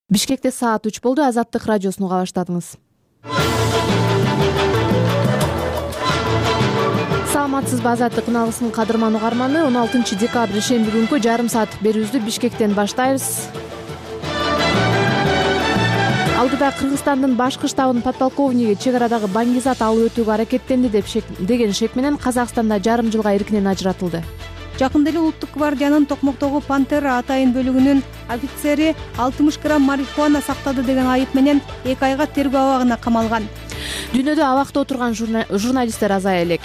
Бишкекте саат 3 болду. Азаттык радиосуну уга баштадыңыз. Саламатсызбы, Азаттык каналынын кадырман угарманы. 16 декабрь шемби күнкү жарым саат берүүбүздү Бишкектен баштайбыз. Алдыда Кыргызстандын башкы штабынын подполковниги чек арадагы Баңгизат алып өтүүгө аракеттенди деген шек менен Казакстанда жарым жылга эркинен ажыратылды. Жакында эле Улуттук гвардиянын Токмоктогу Пантера атайын бөлүгүнүн офицери 60 грамм марихуана сактады деген айып менен 2 айга тергөө абагына камалган. Дүйнөдө абакта отурган журналисттер азая элек.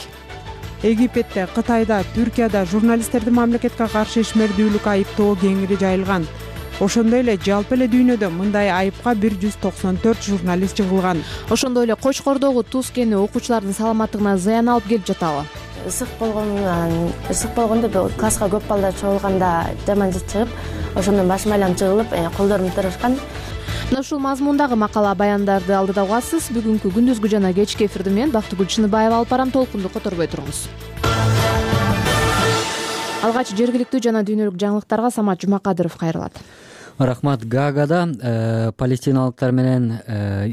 Египетте, Кытайда, Түркияда журналисттерди мамлекетке каршы ишмердүүлүк айыптоо кеңири жайылган. Ошондой эле жалпы эле дүйнөдө мындай айыпка 194 журналист жыгылган. Ошондой эле Кочкордогу туз кени окуучулардын саламаттыгына зыян алып келип жатабы? Ысык болгондо класска көп балдар чогулганда жаман жыт чыгып, ошондон башым айланып жыгылып, колдорум тырышкан. Мына ушул мазмундагы макала баяндарды алдыда угасыз. Бүгүнкү күндүзгү жана кечки эфирди мен Бактыгүл Чыныбаева алып барам. Толкунду которбой туруңуз. Алгач жергиликтүү жана дүйнөлүк жаңылыктарга Самат Жумакадыров кайрылат. Рахмат. Гаагада палестиналыктар менен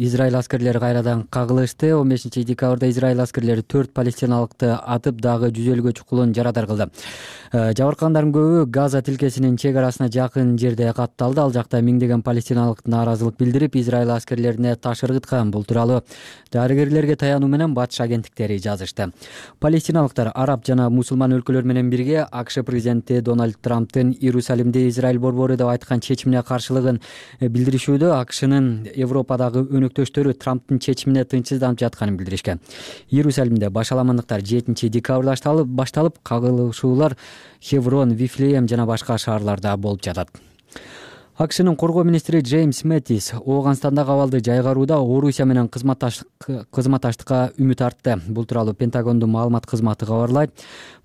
Израиль аскерлери кайрадан кагылышты. 15 декабрда Израиль аскерлери 4 палестиналыкты атып, дагы 150 чукулун жарадар кылды. Жабыркагандардын көбү Газа тилкесинин чек арасына жакын жерде катталды. Ал жакта миңдеген палестиналык нааразылык билдирип, Израиль аскерлерине таш ыргыткан. Бул тууралуу дарыгерлерге таянуу менен батыш агенттиктери жазышты. Палестиналыктар араб жана мусулман өлкөлөр менен бирге АКШ президенти Дональд Трамптын Иерусалимде Израиль борбору деп айткан чечимине каршылыгын билдиришүүдө. АКШнын Европадагы өнөктөштөрү Трамптын чечимине тынчсызданып жатканын билдиришкен. Иерусалимде башаламандыктар 7 декабрда башталып, кагылышуулар Хеврон, Вифлеем жана башка шаарларда болуп жатат. АКШнын коргоо министри Джеймс Мэттис Ооганстандагы абалды жайгарууда Орусия менен кызматташтыкка үмүт артты. Бул тууралуу Пентагондун маалымат кызматы кабарлайт.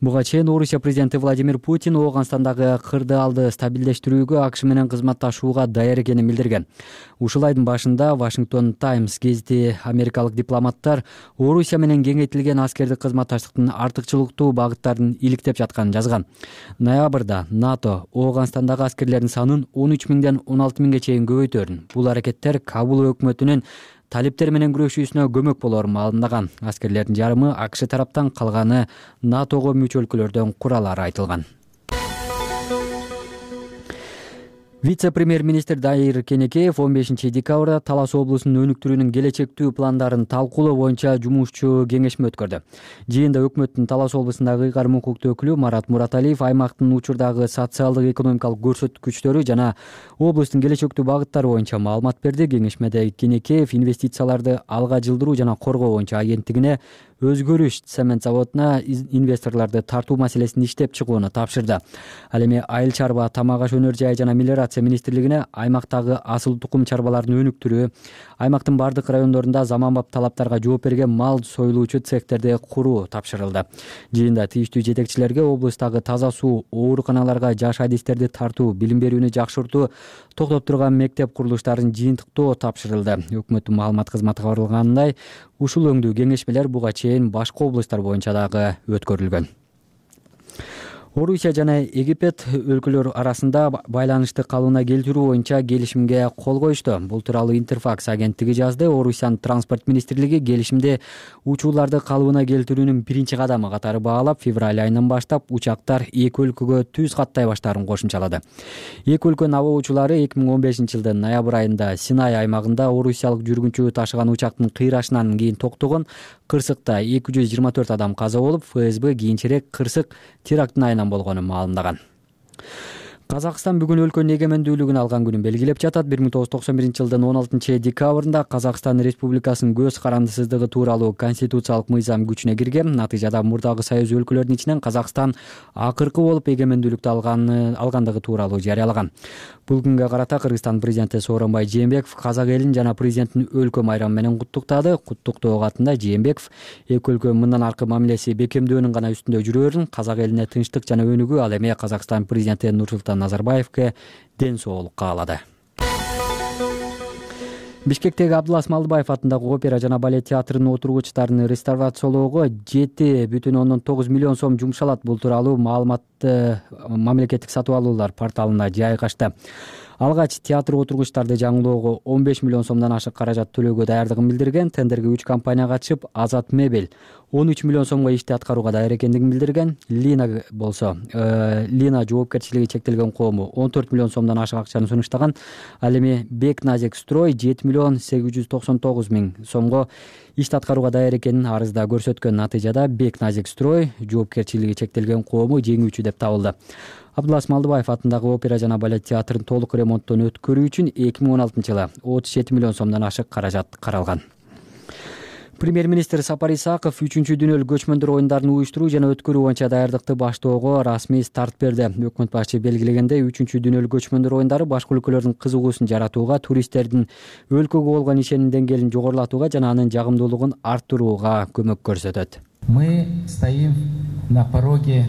Буга чейин Орусия президенти Владимир Путин Ооганстандагы кырдаалды стабилдештирүүгө АКШ менен кызматташууга даяр экенин билдирген. Ушул айдын башында Washington Times гезити америкалык дипломаттар Орусия менен кеңейтилген аскердик кызматташтыктын артыкчылыктуу багыттарын иликтеп жатканын жазган. Ноябрда НАТО Ооганстандагы аскерлердин санын 13 миңден 16 миңге чейин көбөйтөрүн. Бул аракеттер Кабул өкмөтүнүн талиптер менен күрөшүүсүнө көмөк болорун маалымдаган. Аскерлердин жарымы АКШ тараптан, калганы НАТОго мүчө өлкөлөрдөн куралары айтылган. Вице-премьер-министр Дайыр Кенекеев 15 декабрда Талас облусунун өнүктүрүүнүн келечектүү пландарын талкуулоо боюнча жумушчу кеңешме өткөрдү. Жыйында өкмөттүн Талас облусундагы ыйгарым укуктуу өкүлү Марат Мураталиев аймактын учурдагы социалдык экономикалык көрсөткүчтөрү жана облустун келечектүү багыттары боюнча маалымат берди. Кеңешмеде Кенекеев инвестицияларды алга жылдыруу жана коргоо боюнча агенттигине өзгөрүш цемент заводуна инвесторлорду тартуу маселесин иштеп чыгууну тапшырды. Ал эми айыл чарба, тамак аш өнөр жайы жана мелиорация министрлигине аймактагы асыл тукум чарбаларын өнүктүрүү, аймактын бардык райондорунда заманбап талаптарга жооп берген мал союлуучу цехтерди куруу тапшырылды. Жыйында тийиштүү жетекчилерге облустагы таза суу, ооруканаларга жаш адистерди тартуу, билим берүүнү жакшыртуу, токтоп турган мектеп курулуштарын жыйынтыктоо тапшырылды. Өкмөттүн маалымат кызматы кабарлагандай, ушул өңдүү кеңешмелер буга чейин башка облустар боюнча дагы өткөрүлгөн. Орусия жана Египет өлкөлөр арасында байланышты калыбына келтирүү боюнча келишимге кол коюшту. Бул тууралуу Интерфакс агенттиги жазды. Орусиянын транспорт министрлиги келишимди учууларды калыбына келтирүүнүн биринчи кадамы катары баалап, февраль айынан баштап учактар эки өлкөгө түз каттай баштаарын кошумчалады. Эки өлкөнүн аба учуулары 2015 жылдын ноябрь айында Синай аймагында орусиялык жүргүнчү ташыган учактын кыйрашынан кийин токтогон. Кырсыкта 224 адам каза болуп, ФСБ кийинчерээк кырсык терактын айынан болгонун маалымдаган. Казакстан бүгүн өлкөнүн эгемендүүлүгүн алган күнүн белгилеп жатат. 1991 жылдын 16 декабрында Казакстан Республикасынын көз карандысыздыгы тууралуу конституциялык мыйзам күчүнө кирген. Натыйжада мурдагы союз өлкөлөрүнүн ичинен Казакстан акыркы болуп эгемендүүлүктү алгандыгы тууралуу жарыялаган. Бул күнгө карата Кыргызстан президенти Сооронбай Жээнбеков казак элин жана президенттин өлкө майрамы менен куттуктады. Куттуктоо катында Жээнбеков эки өлкөнүн мындан аркы мамилеси бекемдөөнүн гана үстүндө жүрөөрүн, казак элине тынчтык жана өнүгүү, ал эми Казакстан президенти Нурсултан Назарбаевке ден соолук каалады. Бишкектеги Абдылас Малдыбаев атындагы опера жана балет театрынын отургучтарын реставрациялоого 7,9 миллион сом жумшалат. Бул тууралуу маалыматты мамлекеттик сатып алуулар порталына жайгашты. алгач театр отургучтарды жаңылоого 15 миллион сомдон ашык каражат төлөөгө даярдыгын билдирген. Тендерге 3 компания катышып, Азат Мебель 13 миллион сомго ишти аткарууга даяр экендигин билдирген. Лина болсо, Лина жоопкерчилиги чектелген коому 14 миллион сомдон ашык акчаны сунуштаган. Ал эми Бек Назик Строй 7 миллион 899 миң сомго ишти аткарууга даяр экенин арызда көрсөткөн. Натыйжада Бек Назик Строй жоопкерчилиги чектелген коому жеңүүчү деп табылды. Абдулас Малдыбаев атындагы опера жана балет театрын толук ремонттон өткөрүү үчүн 2016-жылы 37 миллион сомдон ашык каражат каралган. Премьер-министр Сапар Исаков 3-дүнөлүк көчмөндөр оюндарын уюштуруу жана өткөрүү боюнча даярдыкты баштоого расмий старт берди. Өкмөт башчы белгилегендей, 3-дүнөлүк көчмөндөр оюндары башка өлкөлөрдүн кызыгуусун жаратууга, туристтердин өлкөгө болгон ишеним деңгээлин жогорулатууга жана анын жагымдуулугун арттырууга көмөк көрсөтөт. Мы стоим на пороге.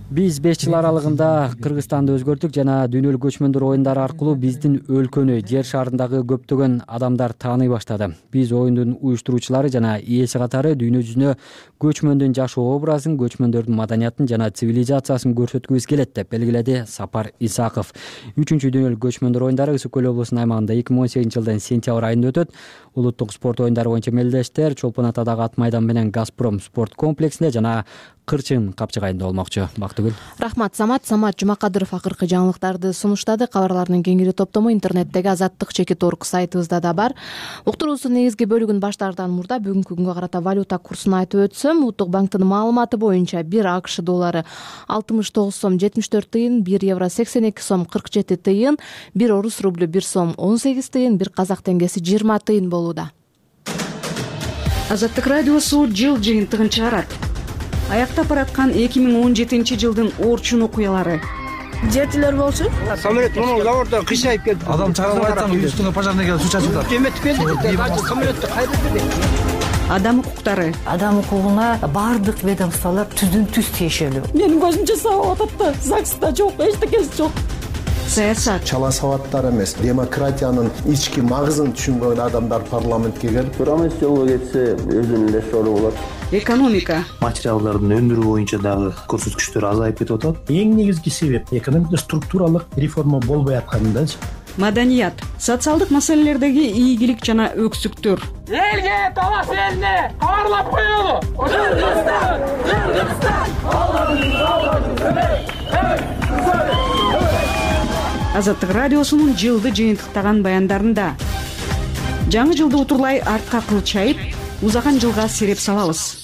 Биз 5 жыл аралыгында Кыргызстанды өзгөрттүк жана дүйнөлүк көчмөндөр оюндары аркылуу биздин өлкөнү жер шарындагы көптөгөн адамдар тааный баштады. Биз оюндун уюштуруучулары жана ээси катары дүйнө жүзүнө көчмөндүн жашоо образын, көчмөндөрдүн маданиятын жана цивилизациясын көрсөткүбүз келет деп белгиледи Сапар Исаков. 3-дүнөлүк көчмөндөр оюндары Ысык көл облусунун аймагында 2018-жылдын сентябрь айында өтөт. Улуттук спорт оюндары боюнча мелдештер Чолпон Атадагы ат майдан менен Газпром спорт комплексинде жана Кырчын капчыгайында болмокчу. Бактыгүл. Рахмат Самат Жумакадыров акыркы жаңылыктарды сунуштады. Кабарлардын кеңири топтому интернеттеги azattik.org сайтыбызда да бар. Уктуруусунун негизги бөлүгүн баштаардан мурда бүгүнкү күнгө карата валюта курсун айтып өтсөм, Улуттук банктын маалыматы боюнча 1 АКШ доллары 69 сом 74 тыйын, 1 евро 82 сом 47 тыйын, 1 орус рублю 1 сом 18 тыйын, 1 казак теңгеси 20 тыйын болууда. Азаттык радиосу жыл жыйынтыгын чыгарат. Аяктап бараткан 2017-жылдын Орчун окуялары. Жетилер болчу. Самолет мына заводдон кыйшайып келди. Адам чагылып айтсаң, үстүңө пожарный келип суу чачып атат. Эметип келди. Самолетти кайда Адам укуктары. Адам укугуна бардык ведомстволор түздүн-түз тиешелүү. Менин көзүмчө сабап атат да, ЗАГСта жок, эчтекеси жок. Саясат. Чала сабаттар эмес, демократиянын ички магызын түшүнгөн адамдар парламентке келип, Турамыз жолго кетсе, өзүнүн эле сору болот. Экономика. Материалдардын өндүрүү боюнча дагы көрсөткүчтөр азайып кетип атат. Эң негизги себеп экономикада структуралык реформа болбой аткандыгы. Маданият. Социалдык маселелердеги ийгилик жана өксүктөр. Элге талас элине кабарлап коелу. Азаттык радиосунун жылды жыйынтыктаган баяндарында жаңы жылды утурлай артка кылчайып, узаган жылга сереп салабыз.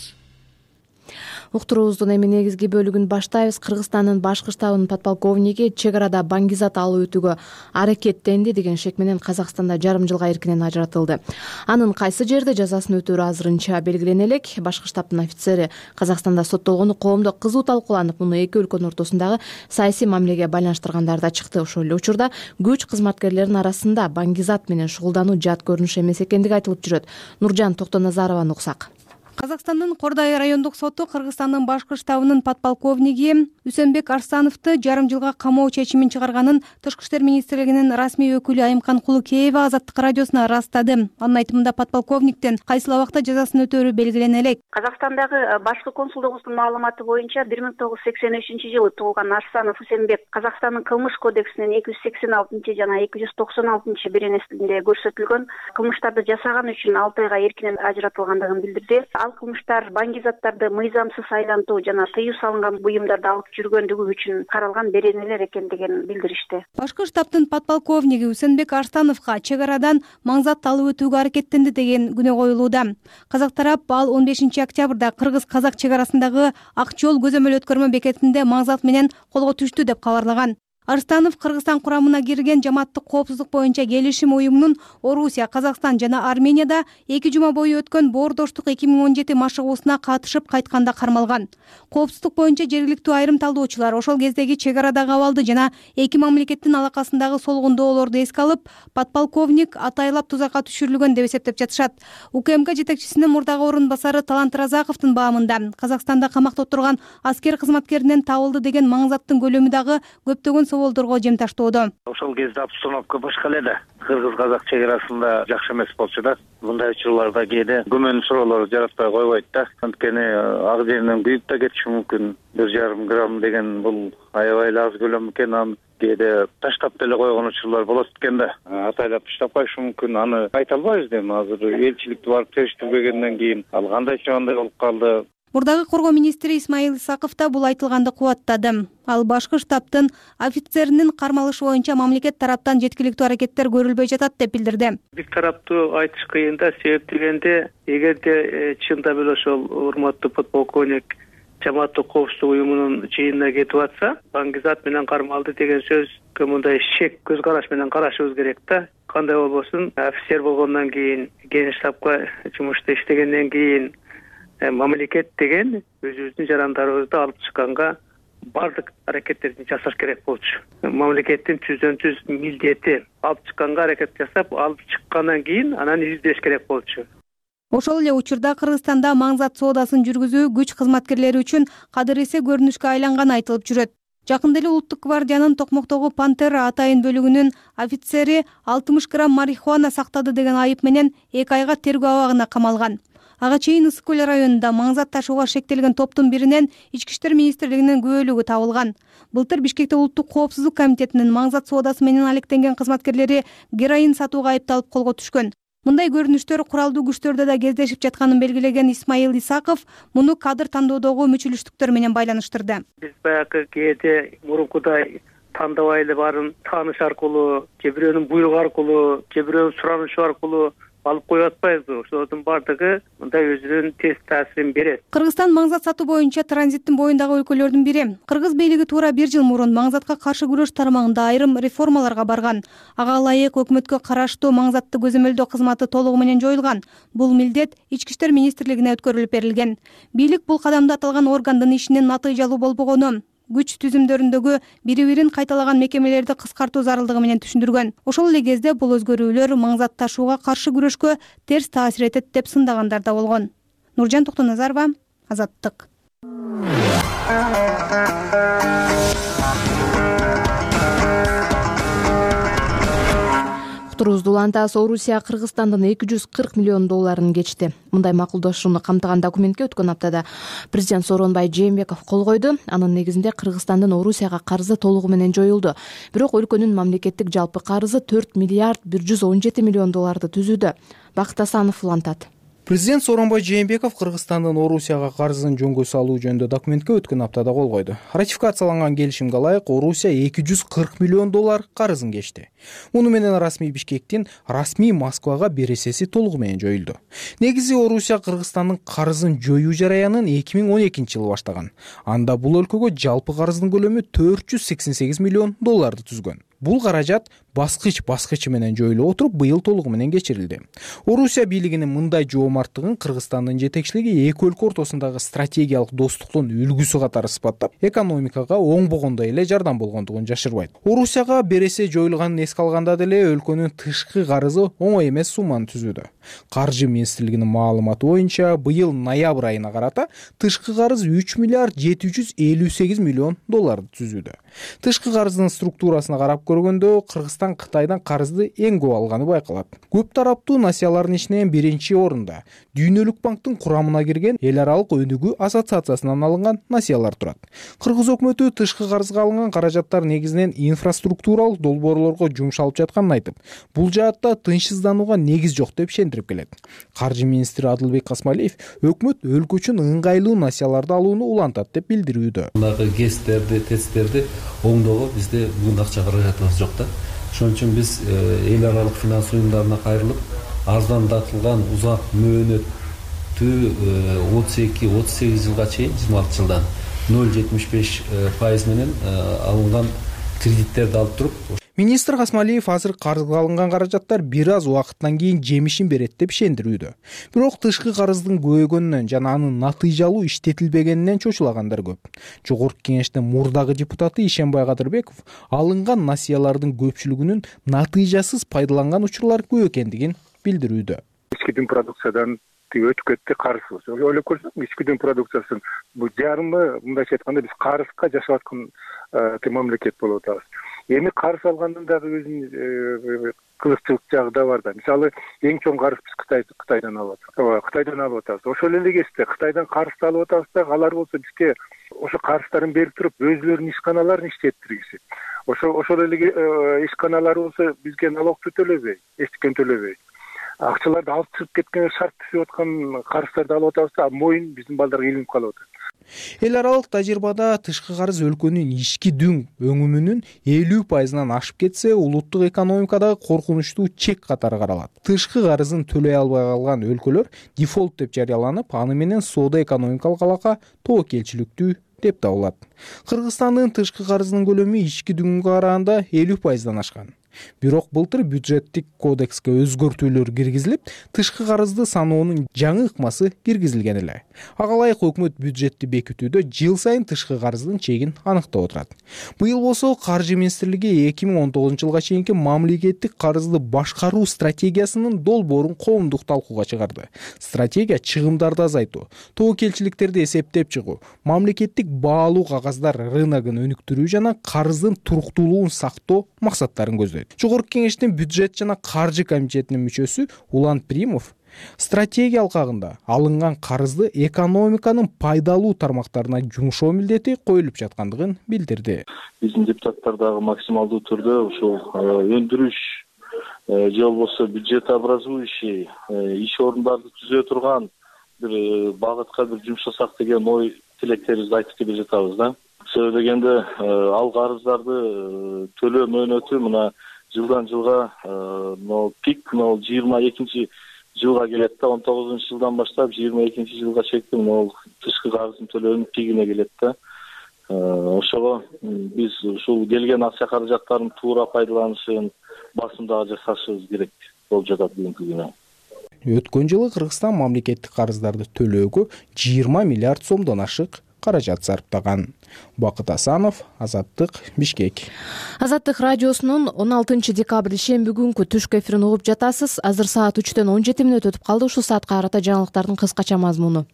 Уктуруубуздун эми негизги бөлүгүн баштайбыз. Кыргызстандын башкы штабынын подполковниги чек арада баңгизат алып өтүүгө аракеттенди деген шек менен Казакстанда жарым жылга эркинен ажыратылды. Анын кайсы жерде жазасын өтөөрү азырынча белгилене элек. Башкы штабтын офицери Казакстанда соттолгону коомдо кызуу талкууланып, муну эки өлкөнүн ортосундагы саясий мамилеге байланыштыргандар да чыкты. Ошол эле учурда күч кызматкерлеринин арасында баңгизат менен шугулдануу жат көрүнүш эмес экендиги айтылып жүрөт. Нуржан Токтоназарованы уксак. Казакстандын Кордай райондук соту Кыргызстандын башкы штабынын подполковниги Үсөнбек Арстановду жарым жылга камоо чечимин чыгарганын Тышкы иштер министрлигинин расмий өкүлү Айымкан Кулукеева Азаттык радиосуна ырастады. Анын айтымында подполковниктен кайсыл убакта жазасын өтөөрү белгилене элек. Казакстандагы башкы консулдугубуздун маалыматы боюнча 1983-жылы туулган Арсанов Үсөнбек Казакстандын кылмыш кодексинин 286 жана 296 беренесинде көрсөтүлгөн кылмыштарды жасаган үчүн 6 айга эркинен ажыратылгандыгын билдирди. Ал кылмыштар баңгизаттарды мыйзамсыз айлантуу жана тыюу салынган буюмдарды алып жүргөндүгү үчүн каралган беренелер экендигин билдиришти. Башкы штабтын подполковниги Үсөнбек Арстановго чек арадан маңзат алып өтүүгө аракеттенди деген күнөө коюлууда. Казак тарап ал 15 октябрда кыргыз-казак чек арасындагы Ак жол көзөмөл өткөрмө бекетинде маңзат менен колго түштү деп кабарлаган. Арстанов Кыргызстан курамына кирген жамааттык коопсуздук боюнча келишим уюмунун Орусия, Казакстан жана Арменияда 2 жума бою өткөн боордоштук 2017 машыгуусуна катышып кайтканда кармалган. Коопсуздук боюнча жергиликтүү айрым талдоочулар ошол кездеги чек арадагы абалды жана эки мамлекеттин алакасындагы солгундоолорду эске алып, подполковник атайлап тузакка түшүрүлгөн деп эсептеп жатышат. УКМК жетекчисинин мурдагы орун басары Талант Разаковдун баамында Казакстанда камакта отурган аскер кызматкеринен табылды деген маңзаттын көлөмү дагы көптөгөн соолдорго жем таштоодо. Ошол кезде обстановка башка эле да. Кыргыз-казак чек арасында жакшы эмес болчу да. Мындай учурларда кээде күмөн суроолор жаратпай койбойт да. Анткени ак жеринен күйүп да кетиши мүмкүн. 1,5 грамм деген бул аябай эле аз көлөм экен. кээде таштап деле койгон учурлар болот экен да. Атайлап таштап коюшу мүмкүн. Аны айта албайбыз эми азыр элчиликти барып териштирбегенден кийин ал кандайча кандай болуп калды. Мурдагы коргоо министри Исмаил Исаков да бул айтылганды кубаттады. Ал башкы штабтын офицеринин кармалышы боюнча мамлекет тараптан жеткиликтүү аракеттер көрүлбөй жатат деп билдирди. Бир тараптуу айтыш кыйын да, себеп дегенде эгерде чындап эле ошол урматтуу подполковник жамааттык коопсуздук уюмунун жыйынына кетип атса, Баңгизат менен кармалды деген сөзгө мындай шек көз караш менен карашыбыз керек да. Кандай болбосун, офицер болгондон кийин, генштабка жумушта иштегенден кийин мамлекет деген өзүбүздүн жарандарыбызды алып чыкканга бардык аракеттерди жасаш керек болчу. Мамлекеттин түздөн-түз милдети алып чыкканга аракет жасап, алып чыккандан кийин анан издеш керек болчу. Ошол эле учурда Кыргызстанда маңзат соодасын жүргүзүү күч кызматкерлери үчүн кадыресе көрүнүшкө айланганы айтылып жүрөт. Жакында эле Улуттук гвардиянын Токмоктогу Пантера атайын бөлүгүнүн офицери 60 грамм марихуана сактады деген айып менен 2 айга тергөө абагына камалган. Ага чейин Ысык көл районунда маңзат ташууга шектелген топтун биринен Ички иштер министрлигинин күбөлүгү табылган. Былтыр Бишкекте Улуттук коопсуздук комитетинин маңзат соодасы менен алектенген кызматкерлери героин сатууга айыпталып колго түшкөн. Мындай көрүнүштөр куралдуу күчтөрдө да кездешип жатканын белгилеген Исмаил Исаков муну кадыр тандоодогу мүчүлүштүктөр менен байланыштырды. Биз баягы кээде мурункудай тандабай эле баарын тааныш аркылуу, же бирөөнүн буйругу аркылуу, же бирөөнүн суранышы аркылуу алып коюп атпайбызбы? Ошолордун бардыгы мындай өзүнүн терс таасирин берет. Кыргызстан маңзат сатуу боюнча транзиттин боюндагы өлкөлөрдүн бири. Кыргыз бийлиги туура 1 жыл мурун маңзатка каршы күрөш тармагында айрым реформаларга барган. Ага ылайык өкмөткө караштуу маңзатты көзөмөлдөө кызматы толугу менен жоюлган. Бул милдет Ички иштер министрлигине өткөрүлүп берилген. Бийлик бул кадамды аталган органдын ишинин натыйжалуу болбогону, күч түзүмдөрүндөгү бири-бирин кайталаган мекемелерди кыскартуу зарылдыгы менен түшүндүргөн. Ошол эле кезде бул өзгөрүүлөр маңзат ташууга каршы күрөшкө терс таасир этет деп сындагандар да болгон. Нуржан Токтоназарова, Азаттык. Уктуруубузду улантабыз. Орусия Кыргызстандын $240 миллион кечти. Мындай макулдашууну камтыган документке өткөн аптада президент Сооронбай Жээнбеков кол койду. Анын негизинде Кыргызстандын Орусияга карызы толугу менен жоюлду. Бирок өлкөнүн мамлекеттик жалпы карызы $4 миллиард 117 миллион түзүүдө. Бакыт Асанов улантат. Президент Сооронбай Жээнбеков Кыргызстандын Орусияга карызын жөнгө салуу жөнүндө документке өткөн аптада кол койду. Ратификацияланган келишимге ылайык Орусия $240 миллион карызын кечти. Муну менен расмий Бишкектин, расмий Москвага бересеси толугу менен жоюлду. Негизи Орусия Кыргызстандын карызын жоюу жараянын 2012-жылы баштаган. Анда бул өлкөгө жалпы карыздын көлөмү $488 миллион түзгөн. Бул каражат баскыч менен жоюлуп отуруп, быйыл толугу менен кечирилди. Орусия бийлигинин мындай жоомарттыгын Кыргызстандын жетекчилиги эки өлкө ортосундагы стратегиялык достуктун үлгүсү катары сыпаттап, экономикага оңбогондой эле жардам болгондугун жашырбайт. Орусияга бересе жоюлганын эске алганда деле өлкөнүн тышкы карызы оңой эмес сумманы түзүүдө. Каржы министрлигинин маалыматы боюнча, быйыл ноябрь айына карата тышкы карыз $3 миллиард 758 миллион түзүүдө. Тышкы карыздын структурасына карап көргөндө Кыргызстан Кытайдан карызды эң көп алганы байкалат. Көп тараптуу насиялардын ичинен биринчи орунда Дүйнөлүк банктын курамына кирген Эл аралык өнүгүү ассоциациясынан алынган насиялар турат. Кыргыз өкмөтү тышкы карызга алынган каражаттар негизинен инфраструктуралык долбоорлорго жумшалып жатканын айтып, бул жаатта тынчсызданууга негиз жок деп ишендирип келет. Каржы министри Адылбек Касмалиев өкмөт өлкө үчүн ыңгайлуу насияларды алууну улантат деп билдирүүдө. Мындагы ГЭСтерди, ТЭЦтерди оңдоого бизде бүгүн акча каражатыбыз жок да. Ошон үчүн биз эл аралык финанс уюмдарына кайрылып, арзандатылган узак мөөнөттүү 32-38 жылга чейин 26 жылдан 0,75% менен алынган кредиттерди алып туруп, Министр Касмалиев азыр карызга алынган каражаттар бир аз убакыттан кийин жемишин берет деп ишендирүүдө. Бирок тышкы карыздын көбөйгөнүнөн жана анын натыйжалуу иштетилбегенинен чочулагандар көп. Жогорку кеңештин мурдагы депутаты Ишенбай Кадырбеков алынган насиялардын көпчүлүгүнүн натыйжасыз пайдаланган учурлар көп экендигин билдирүүдө. Ички дүң продукциядан өтүп кетти карыз. Ойлоп көрсөк, ички дүң продукциясын бул жарымы, мындайча айтканда биз карызга жашап аткан мамлекет болуп атабыз. Эми карыз алгандын дагы өзүнүн кызыкчылык жагы да бар да. Мисалы, эң чоң карыз биз Кытайдан алып атабыз. Кытайдан алып атабыз. Ошол эле кезде Кытайдан карызды алып атабыз да, алар болсо бизге ошо карыздарын берип туруп, өзүлөрүнүн ишканаларын иштеттиргизет. Ошол эле ишканалар болсо бизге налогду төлөбөй, эчтекен төлөбөй. Акчаларды алып чыгып кеткен, шарт түзүп аткан карыздарды алып атабыз да, моюн биздин балдарга илинип калып атат. Эл аралык тажрыйбада тышкы карыз өлкөнүн ички дүң өңүмүнүн 50%-нан ашып кетсе, улуттук экономикадагы коркунучтуу чек катары каралат. Тышкы карызын төлөй албай калган өлкөлөр дефолт деп жарыяланып, аны менен соода экономикалык алака тобокелчиликтүү деп табылат. Кыргызстандын тышкы карызынын көлөмү ички дүнгө караганда 50%-дан ашкан. Бирок былтыр бюджеттик кодекске өзгөртүүлөр киргизилип, тышкы карызды саноонун жаңы ыкмасы киргизилген эле. Ага ылайык өкмөт бюджетти бекитүүдө жыл сайын тышкы карыздын чегин аныктап отурат. Быйыл болсо Каржы министрлиги 2019-жылга чейинки мамлекеттик карызды башкаруу стратегиясынын долбоорун коомдук талкууга чыгарды. Стратегия чыгымдарды азайтуу, тобокелчиликтерди эсептеп чыгуу, мамлекеттик баалуу кагаздар рыногун өнүктүрүү жана карыздын туруктуулугун сактоо максаттарын көздөйт. Жогорку кеңештин бюджет жана каржы комитетинин мүчөсү Улан Примов стратегия алкагында алынган карызды экономиканын пайдалуу тармактарына жумшоо милдети коюлуп жаткандыгын билдирди. Биздин депутаттар дагы максималдуу түрдө ушул өндүрүш же болбосо бюджетообразующий иш орундарды түзө турган бир багытка бир жумшасак деген ой тилектерибизди айтып келе жатабыз да. Себеби дегенде ал карыздарды төлөө мөөнөтү мына жылдан жылга пик 22 жылга келет да, 19-жылдан баштап 22 жылга чейин тышкы карыздын төлөөнүн пигине келет да. Ошого биз ушул келген акча каражаттарын туура пайдаланышын басымдагы жасашыбыз керек болуп жатат бүгүнкү күнү. Өткөн жылы Кыргызстан мамлекеттик карыздарды төлөөгө 20 миллиард сомдон ашык каражат сарптаган. Бакыт Асанов, Азаттык, Бишкек. Азаттык радиосунун 16 декабрь шемби күнкү түшкү эфирин угуп жатасыз. Азыр саат 3-төн 17 мүнөт өтүп калды. Ушул саатка карата жаңылыктардын кыскача мазмуну.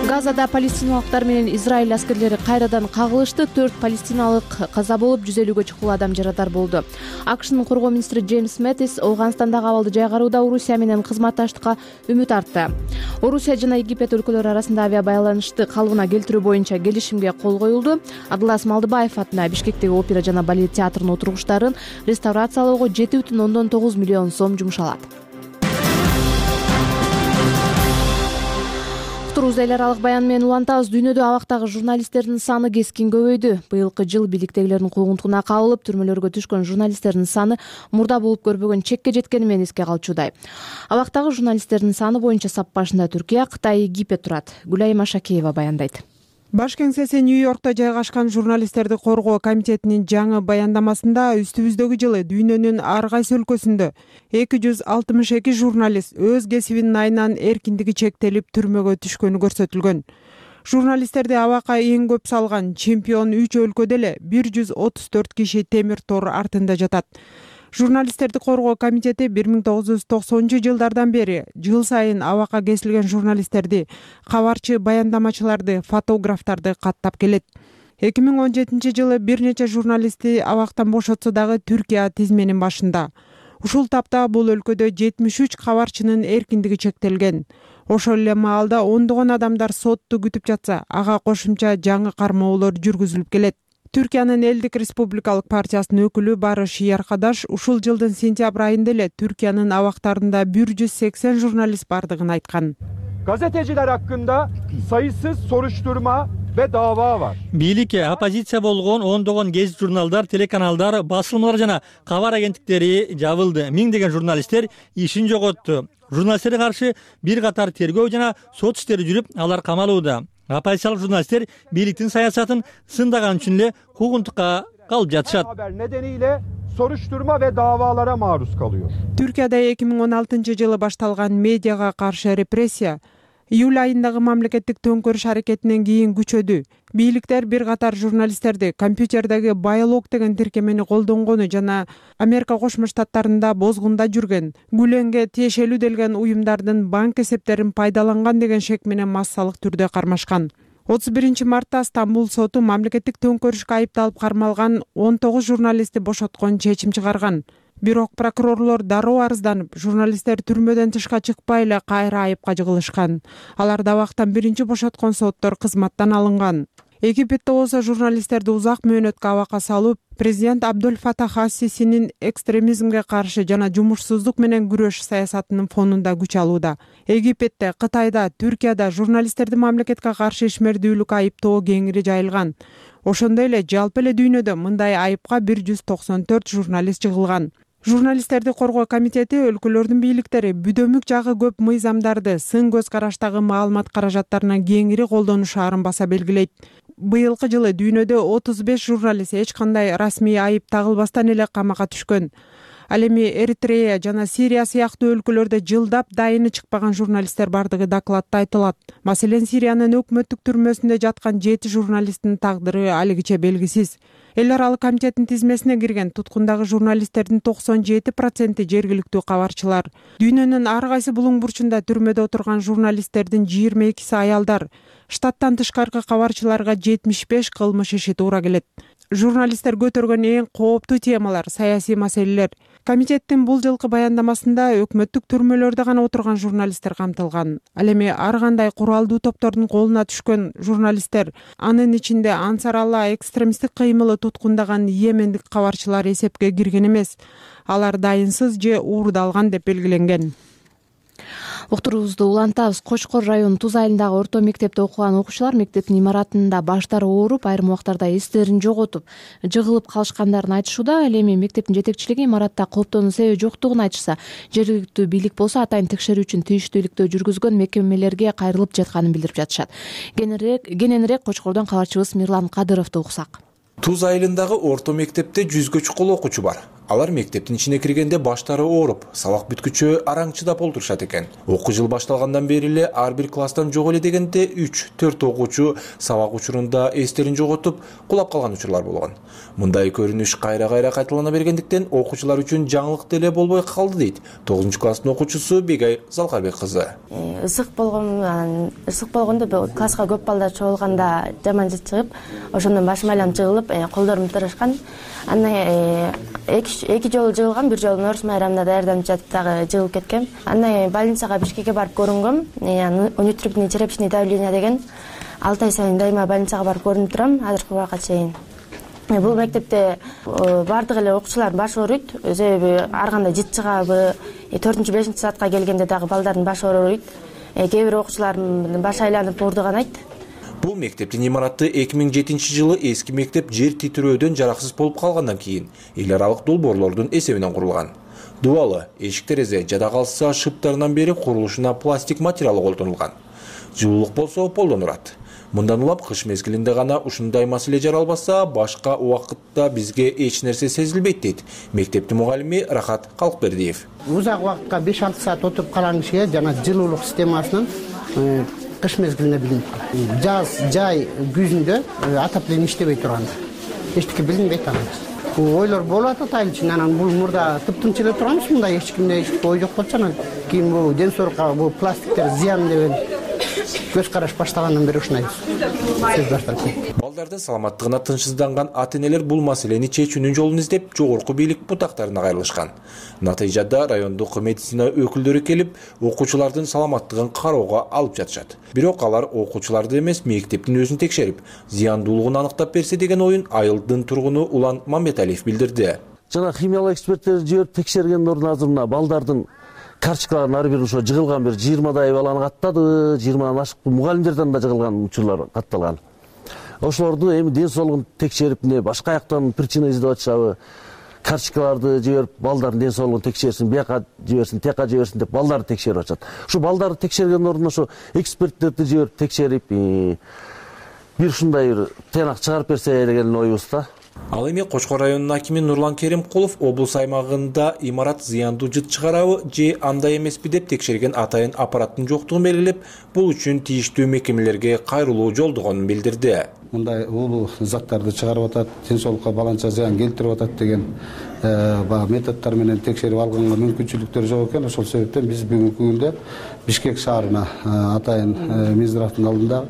Газада палестиналыктар менен Израиль аскерлери кайрадан кагылышты. 4 палестиналык каза болуп, 150-гө чукул адам жарадар болду. АКШнын коргоо министри Джеймс Мэттис Ооганстандагы абалды жайгарууда Орусия менен кызматташтыкка үмүт артты. Орусия жана Египет өлкөлөрү арасында авиа байланышты калыбына келтирүү боюнча келишимге кол коюлду. Абдылас Малдыбаев атына Бишкектеги опера жана балет театрынын отургучтарын реставрациялоого 7,9 миллион сом жумшалат. Эл аралык баян менен улантабыз. Дүйнөдө абактагы журналисттердин саны кескин көбөйдү. Быйылкы жыл бийликтегилердин куугунтугуна кабылып, түрмөлөргө түшкөн журналисттердин саны мурда болуп көрбөгөн чекке жеткени менен эске калчудай. Абактагы журналисттердин саны боюнча сап башында Түркия, Кытай, Египет турат. Гүлайым Ашакеева баяндайт. Баш кеңсеси Нью-Йоркто жайгашкан журналисттерди коргоо комитетинин жаңы баяндамасында үстүбүздөгү жылы дүйнөнүн ар кайсы өлкөсүндө 262 журналист өз кесибинин айынан эркиндиги чектелип түрмөгө түшкөнү көрсөтүлгөн. Журналисттерди абакка эң көп салган чемпион 3 өлкөдө эле 134 киши темир тор артында жатат. Журналисттерди коргоо комитети 1990-жылдардан бери жыл сайын абакка кесилген журналисттерди, кабарчы баяндамачыларды, фотографтарды каттап келет. 2017-жылы бир нече журналистти абактан бошотсо дагы Түркия тизменин башында. Ушул тапта бул өлкөдө 73 кабарчынын эркиндиги чектелген. Ошол эле маалда ондогон адамдар сотту күтүп жатса, ага кошумча жаңы кармоолор жүргүзүлүп келет. Түркиянын Элдик Республикалык партиясынын өкүлү Барыш Яркадаш ушул жылдын сентябрь айында эле Түркиянын абактарында 180 журналист бардыгын айткан. Gazeteciler hakkında sayısız soruşturma ve dava var. Бийликке оппозиция болгон ондогон гез журналдар, телеканалдар, басылмалар жана кабар агенттиктери жабылды. Миңдеген журналисттер ишин жоготту. Журналисттерге каршы бир катар тергөө жана сот иштери жүрүп, алар камалууда. Оппозициялык журналисттер бийликтин саясатын сындаган үчүн эле куугунтукка калып жатышат. Haber nedeniyle soruşturma ve davalara maruz kalıyor. Түркияда 2016-жылы башталган медиага каршы репрессия июль айындагы мамлекеттик төңкөрүш аракетинен кийин күчөдү. Бийликтер бир катар журналисттерди компьютердеги байлог деген тиркемени колдонгону жана Америка Кошмо Штаттарында бозгунда жүргөн, Гүленге тиешелүү делген уюмдардын банк эсептерин пайдаланган деген шек менен массалык түрдө кармашкан. 31 мартта Стамбул соту мамлекеттик төңкөрүшкө айыпталып кармалган 19 журналистти бошоткон чечим чыгарган. Бирок прокурорлор дароо арызданып, журналисттер түрмөдөн тышка чыкпай эле кайра айыпка жыгылышкан. Алар дабактан биринчи бошоткон соттор кызматтан алынган. Египетте болсо журналисттерди узак мөөнөткө абакка салып, президент Абдул Фатах ас-Сисинин экстремизмге каршы жана жумушсуздук менен күрөш саясатынын фонунда күч алууда. Египетте, Кытайда, Түркияда журналисттерди мамлекетке каршы ишмердүүлүк айыптоо кеңири жайылган. Ошондой эле жалпы эле дүйнөдө мындай айыпка 194 журналист жыгылган. Журналисттерди коргоо комитети өлкөлөрдүн бийликтери бүдөмүк жагы көп мыйзамдарды сын көз караштагы маалымат каражаттарына кеңири колдонушаарын баса белгилейт. Быйылкы жылы дүйнөдө 35 журналист эч кандай расмий айып тагылбастан эле камакка түшкөн. Ал эми Эритрея жана Сирия сыяктуу өлкөлөрдө жылдап дайыны чыкпаган журналисттер бардыгы докладта айтылат. Маселен, Сириянын өкмөттүк түрмөсүндө жаткан 7 журналисттин тагдыры алигиче белгисиз. Эл аралык комитеттин тизмесине кирген туткундагы журналисттердин 97% жергиликтүү кабарчылар. Дүйнөнүн ар кайсы булуң бурчунда түрмөдө отурган журналисттердин 22си аялдар. Штаттан тышкаркы кабарчыларга 75 кылмыш иши туура келет. Журналисттер көтөргөн эң кооптуу темалар саясий маселелер. Комитеттин бул жылкы баяндамасында өкмөттүк түрмөлөрдө гана отурган журналисттер камтылган. Ал эми ар кандай куралдуу топтордун колуна түшкөн журналисттер, анын ичинде Ансар Алла экстремисттик кыймылы туткундаган йемендик кабарчылар эсепке кирген эмес. Алар дайынсыз же уурдалган деп белгиленген. Уктуруубузду улантабыз. Кочкор районунун Туз айылындагы орто мектепте окуган окуучулар мектептин имаратында баштары ооруп, айрым убактарда эстерин жоготуп, жыгылып калышкандарын айтышууда. Ал эми мектептин жетекчилиги имаратта кооптоонун себеби жоктугун айтышса, жергиликтүү бийлик болсо атайын текшерүү үчүн тийиштүүлүктү жүргүзгөн мекемелерге кайрылып жатканын билдирип жатышат. Кененирээк Кочкордон кабарчыбыз Мирлан Кадыровду уксак. Туз айылындагы орто мектепте 100гө чукул окуучу бар. Алар мектептин ичине киргенде баштары ооруп, сабак бүткүчө араңчыдап олтурушат экен. Окуу жыл башталгандан бери эле ар бир класстан жок эле дегенде 3-4 окуучу сабак учурунда эстерин жоготуп, кулап калган учурлар болгон. Мындай көрүнүш кайра-кайра кайталана бергендиктен окуучулар үчүн жаңылык деле болбой калды дейт 9-класстын окуучусу Бегай Залкарбек кызы. Ысык болгондо класска көп балдар чогулганда жаман жыт чыгып, ошондон башым айланып жыгылып, колдорум тырышкан. Андан эки жолу жыгылгам, бир жолу Норус майрамында даярданып жатып дагы жыгылып кеткем. Андан больницага Бишкекке барып көрүнгөм. Внутреннее черепичное давление деген 6 ай сайын дайыма больницага барып көрүнүп турам, азыркы убакка чейин. Бул мектепте бардык эле окуучулар башы ооруйт, себеби ар кандай жыт чыгабы, 4-5 саатка келгенде дагы балдардын башы ооруйт. Кээ бир окуучулардын башы айланып оордуган айт. Бул мектептин имараты 2007-жылы эски мектеп жер титирөөдөн жараксыз болуп калгандан кийин эл аралык долбоорлордун эсебинен курулган. Дубалы, эшик-терезе жада калса шыптарынан бери курулушуна пластик материалы колдонулган. Жылуулук болсо колдонулат. Мындан улам кыш мезгилинде гана ушундай маселе жаралбаса, башка убакытта бизге эч нерсе сезилбейт дейт мектептин мугалими Рахат Калкбердиев. Узак убакытка 5-6 саат отуруп калган кишиге жана жылуулук системасынын кыш мезгилинде билинет. Жай күзүндө отопление иштебей турганда эчтеке билинбейт анан. Ойлор болуп атат айыл ичинде, анан бул мурда тыптынч эле турганбыз, мындай эч кимде ой жок болчу. Анан кийин бул ден соолукка бул пластиктер зыян деген көз караш баштагандан бери ушундай сөз башталып кетти. Балдардын саламаттыгына тынчсызданган ата-энелер бул маселени чечүүнүн жолун издеп жогорку бийлик бутактарына кайрылышкан. Натыйжада райондук медицина өкүлдөрү келип, окуучулардын саламаттыгын кароого алып жатышат. Бирок алар окуучуларды эмес, мектептин өзүн текшерип, зыяндуулугун аныктап берсе деген оюн айылдын тургуну Улан Мамбеталиев билдирди. Жана химиялык эксперттер жиберип текшергенден ордун азыр мына балдардын карточкаларын ар бир ошо жыгылган бир 20дай баланы каттады, 20дан ашык мугалимдерден да жыгылган учурлар катталган. Ошолорду эми ден соолугун текшерип, башка жактан причина издеп атышабы, карточкаларды жиберип, балдардын ден соолугун текшерсин, бияка жиберсин, тияка жиберсин деп балдарды текшерип атышат. Ушу балдарды текшергенден ордун ошо эксперттерди жиберип текшерип, бир ушундай бир тыянак чыгарып берсе деген оюбуз да. Ал эми Кочкор районунун акими Нурлан Керимкулов облус аймагында имарат зыяндуу жыт чыгарабы же андай эмеспи деп текшерген атайын аппараттын жоктугун белгилеп, бул үчүн тийиштүү мекемелерге кайрылуу жолдогонун билдирди. мындай уулуу заттарды чыгарып атат, ден соолукка баланча зыян келтирип атат деген баягы методдор менен текшерип алганга мүмкүнчүлүктөр жок экен. Ошол себептен биз бүгүнкү күндө Бишкек шаарына атайын Минздравдын алдында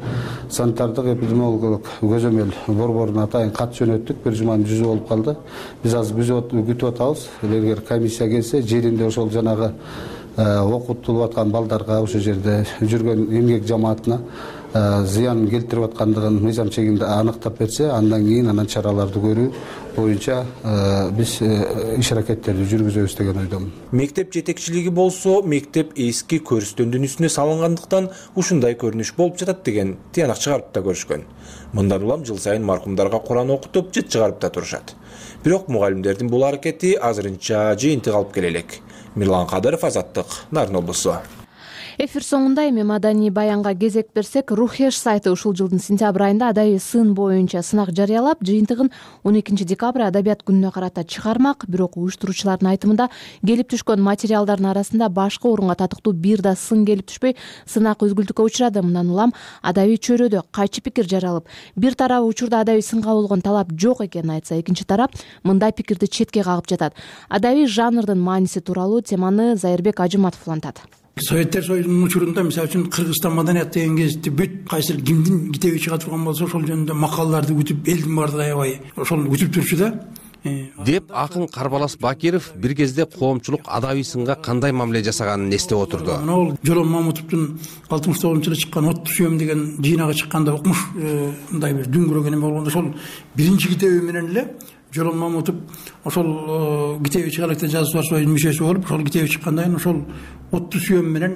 санитардык эпидемиологиялык көзөмөл борборуна атайын кат жөнөттүк. Бир жуманын жүзү болуп калды. Биз азыр күтүп атабыз. Эгер комиссия келсе, жеринде ошол жанагы окутулуп аткан балдарга, ошол жерде жүргөн эмгек жамаатына зыян келтирип аткандыгын мыйзам чегинде аныктап берсе, андан кийин анан чараларды көрүү боюнча биз иш аракеттерди жүргүзөбүз деген ойдомун. Мектеп жетекчилиги болсо, мектеп эски көрүстөндүн үстүнө салынгандыктан ушундай көрүнүш болуп жатат деген тыянак чыгарып да көрүшкөн. Мындан улам жыл сайын маркумдарга Куран окутуп, жыт чыгарып да турушат. Бирок мугалимдердин бул аракети азырынча жыйынтык алып келе элек. Мирлан Кадыров, Азаттык, Нарын облусу. Эфир соңунда эми маданий баянга кезек берсек, Рухеш сайты ушул жылдын сентябрь айында адабий сын боюнча сынак жарыялап, жыйынтыгын 12 декабрь адабият күнүнө карата чыгармак. Бирок уюштуруучулардын айтымында келип түшкөн материалдардын арасында башкы орунга татыктуу бир да сын келип түшпөй, сынак үзгүлтүккө учурады. Мындан улам адабий чөйрөдө кайчы пикир жаралып, бир тарабы учурда адабий сынга болгон талап жок экенин айтса, экинчи тарап мындай пикирди четке кагып жатат. Адабий жанрдын мааниси тууралуу теманы Зайырбек Ажыматов улантат. Советтер Союзунун учурунда, мисалы үчүн, Кыргызстан маданият деген кезде бүт кайсыр кимдин китеби чыга турган болсо, ошол жөнүндө макалаларды күтүп, элдин баардыгы аябай ошол күтүп турчу да. Деп акын Карбалас Бакиров бир кезде коомчулук адабий сынга кандай мамиле жасаганын эстеп отурду. Ал Жолон Мамутовдун 69-жылы чыккан Отту сүйөм деген жыйнагы чыкканда окумуш, мындай бир дүңгүрөк эме болгондо, ошол биринчи китеби менен эле Жолон Мамутов ошол китеби чыгалыкта жазуучулар союзунун мүчөсү болуп, ошол китеби чыккандан кийин ошол Отту сүйөм менен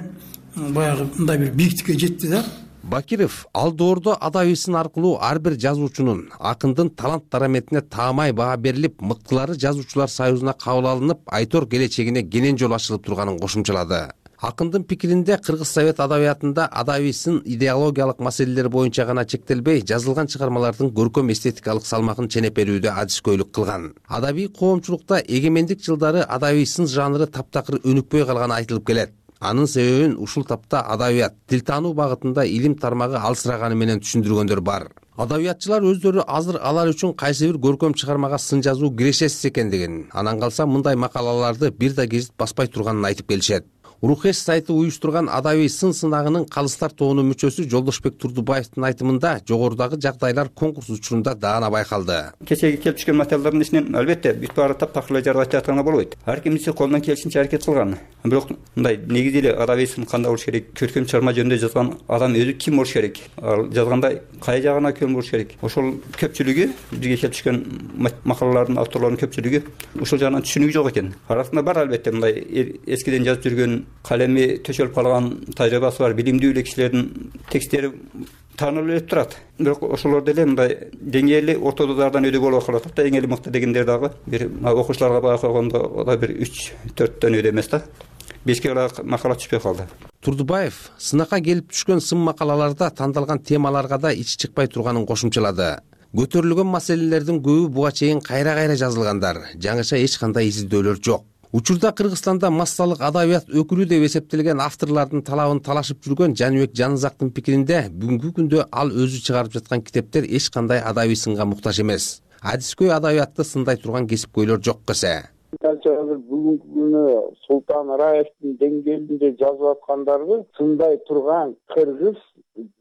баягы мындай бир бийиктикке жетти да. Бакиров ал доордо адабий сын аркылуу ар бир жазуучунун, акындын талант дараметине таамай баа берилип, мыктылары жазуучулар союзуна кабыл алынып, айтор келечегине кенен жол ачылып турганын кошумчалады. Акындын пикиринде Кыргыз совет адабиятында адабий сын идеологиялык маселелер боюнча гана чектелбей, жазылган чыгармалардын көркөм эстетикалык салмагын ченеп берүүдө адискөйлүк кылган. Адабий коомчулукта эгемендик жылдары адабий сын жанры таптакыр өнүкпөй калганы айтылып келет. Анын себебин ушул тапта адабият, тил таануу багытында илим тармагы алсыраганы менен түшүндүргөндөр бар. Адабиятчылар өздөрү азыр алар үчүн кайсы бир көркөм чыгармага сын жазуу кирешесиз экендигин, анан калса мындай макалаларды бир да гезит баспай турганын айтып келишет. Рухеш сайты уюштурган адабий сын сынагынын калыстар тобунун мүчөсү Жолдошбек Турдубаевдин айтымында жогорудагы жагдайлар конкурс учурунда даана байкалды. Кечеги келип түшкөн материалдардын ичинен албетте бүт баары таптакыр эле жаргап жатканга болбойт. Ар кимиси колунан келишинче аракет кылган. Бирок мындай негизи эле адабий сын кандай болуш керек, көркөм чыгарма жөнүндө жазган адам өзү ким болуш керек, ал жазганда кай жагына кем болуш керек. Ошол көпчүлүгү бизге келип түшкөн макалалардын авторлорунун көпчүлүгү ушул жагынан түшүнүгү жок экен. Арасында бар албетте мындай эскиден жазып жүргөн, калеми төшөлүп калган, тажрыйбасы бар, билимдүү эле кишилердин текстери таанылып турат. Бирок ошолор деле мындай деңгээлli ортододардан өйдө болуп калат да. Эң эле мыкты дегендер дагы бир окуучуларга баа койгондо да бир 3-4төн өйдө эмес да. 5ке макала түшпөй калды. Турдубаев сынакка келип түшкөн сын макалаларда тандалган темаларга да ичи чыкпай турганын кошумчалады. Көтөрүлгөн маселелердин көбү буга чейин кайра-кайра жазылгандар, жаңыча эч кандай изилдөөлөр жок. Учурда Кыргызстанда массалык адабият өкүлү деп эсептелген авторлордун талабын талашып жүргөн Жаныбек Жанызактын пикиринде, бүгүнкү күндө ал өзү чыгарып жаткан китептер эч кандай адабий сынга муктаж эмес. Адискөй адабиятты сындай турган кесипкөйлөр жок эсе. Азыр бүгүнкү күнү Султан Раевдин деңгээлинде жазып аткандарды сындай турган кыргыз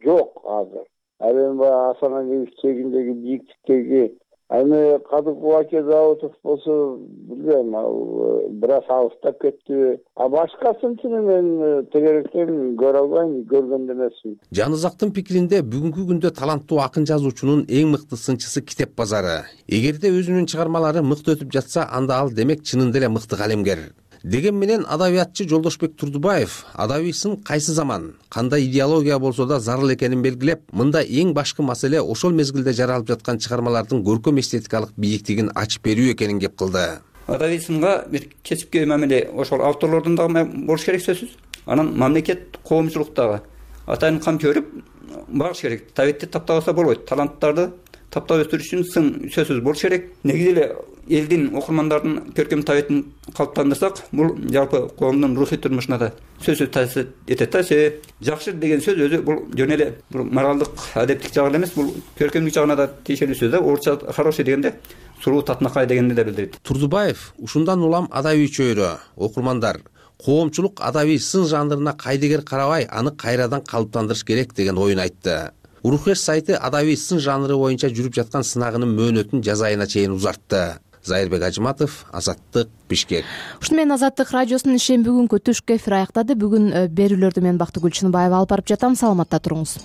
жок азыр. Ал эми Асаналиев чегиндеги бийиктиктеги эми Кадыков аке Даутов болсо билбейм, ал бир аз алыстап кетти. Башкасын мен тегеректен көрө албайм, көргөн да эмесмин. Жанызактын пикиринде бүгүнкү күндө таланттуу акын жазуучунун эң мыкты сынчысы китеп базары. Эгерде өзүнүн чыгармалары мыкты өтүп жатса, анда ал демек чынында эле мыкты калемгер. Деген менен адабиятчы Жолдошбек Турдубаев адабий сын кайсы заман, кандай идеология болсо да зарыл экенин белгилеп, мында эң башкы маселе ошол мезгилде жаралып жаткан чыгармалардын көркөм эстетикалык бийиктигин ачып берүү экенин кеп кылды. Адабий сынга бир кесипкөй мамиле ошол авторлордун дагы болуш керек сөзсүз. Анан мамлекет, коомчулуктагы атайын кам көрүп багыш керек. Табетти таптабаса болбойт. Таланттарды таптап өстүрүш үчүн сын сөзсүз болуш керек. Негизи эле элдин окурмандардын көркөм табиятын калыптандырсак, бул жалпы коомдун рухий турмушуна да сөзсүз таасир этет да. Себеби жакшы деген сөз өзү бул жөн эле бул моралдык, адептик жагы эле эмес, бул көркөмдүк жагына да тиешелүү сөз да. Орусча хороший дегенде суруу татынакай дегенди да билдирет. Турдубаев ушундан улам адабий чөйрө, окурмандар коомчулук адабий сын жанрына кайдыгер карабай, аны кайрадан калыптандырыш керек деген оюн айтты. Урухеш сайты адабий сын жанры боюнча жүрүп жаткан сынагынын мөөнөтүн жаз айына чейин узартты. Зайырбек Ажыматов, Азаттык, Бишкек. Ушуну менен Азаттык радиосунун ишин бүгүнкү түшкү эфир аяктады. Бүгүн берүүлөрдү мен Бактыгүл Чыныбаева алып барып жатам. Саламатта туруңуз.